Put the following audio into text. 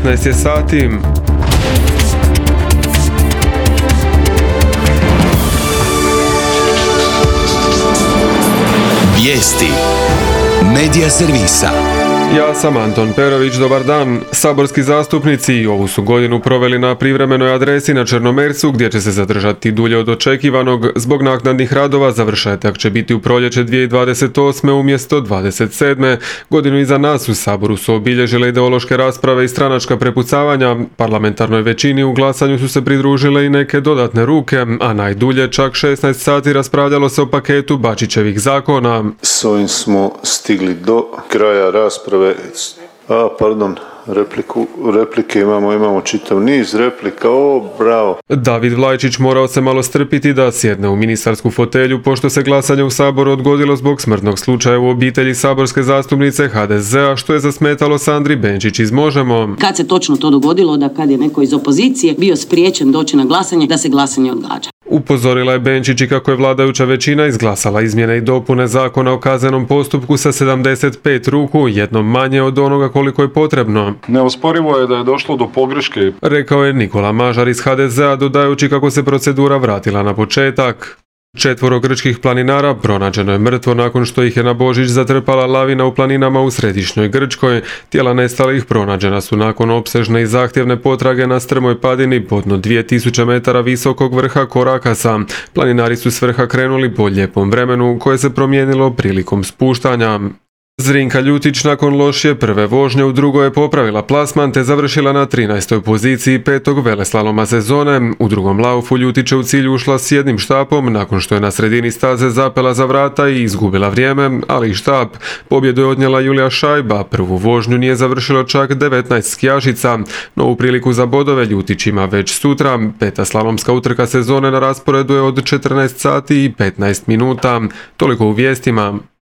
19 je sati. Vijesti Medija servisa. Ja sam Anton Perović, dobar dan. Saborski zastupnici ovu su godinu proveli na privremenoj adresi na Črnomercu, gdje će se zadržati dulje od očekivanog. Zbog naknadnih radova završetak će biti u proljeće 2028. umjesto 27. Godinu iza nas u Saboru su obilježile ideološke rasprave i stranačka prepucavanja. Parlamentarnoj većini u glasanju su se pridružile i neke dodatne ruke, a najdulje čak 16 sati raspravljalo se o paketu Bačićevih zakona. S ovim smo stigli do kraja rasprave. Replike imamo čitav niz replika, bravo. David Vlajčić morao se malo strpiti da sjedne u ministarsku fotelju, pošto se glasanje u Saboru odgodilo zbog smrtnog slučaja u obitelji saborske zastupnice HDZ-a, što je zasmetalo Sandri Benčić iz Možemo. Kad se točno to dogodilo, da kad je neko iz opozicije bio spriječen doći na glasanje, da se glasanje odgađa. Upozorila je Benčić i kako je vladajuća većina izglasala izmjene i dopune Zakona o kaznenom postupku sa 75 ruku, jednom manje od onoga koliko je potrebno. Neosporivo je da je došlo do pogreške, rekao je Nikola Mažar iz HDZ-a, dodajući kako se procedura vratila na početak. 4 grčkih planinara pronađeno je mrtvo nakon što ih je na Božić zatrpala lavina u planinama u središnjoj Grčkoj. Tijela nestalih pronađena su nakon opsežne i zahtjevne potrage na strmoj padini podno 2000 metara visokog vrha Korakasa. Planinari su s vrha krenuli po lijepom vremenu koje se promijenilo prilikom spuštanja. Zrinka Ljutić nakon lošije prve vožnje u drugoj je popravila plasman te završila na 13. poziciji 5. veleslaloma sezone. U drugom laufu Ljutić je u cilj ušla s jednim štapom nakon što je na sredini staze zapela za vrata i izgubila vrijeme, ali i štap. Pobjedu je odnijela Julija Šajba, prvu vožnju nije završilo čak 19 skijašica. Novu priliku za bodove Ljutić ima već sutra. 5. slalomska utrka sezone na rasporedu je od 14 sati i 15 minuta. Toliko u vijestima.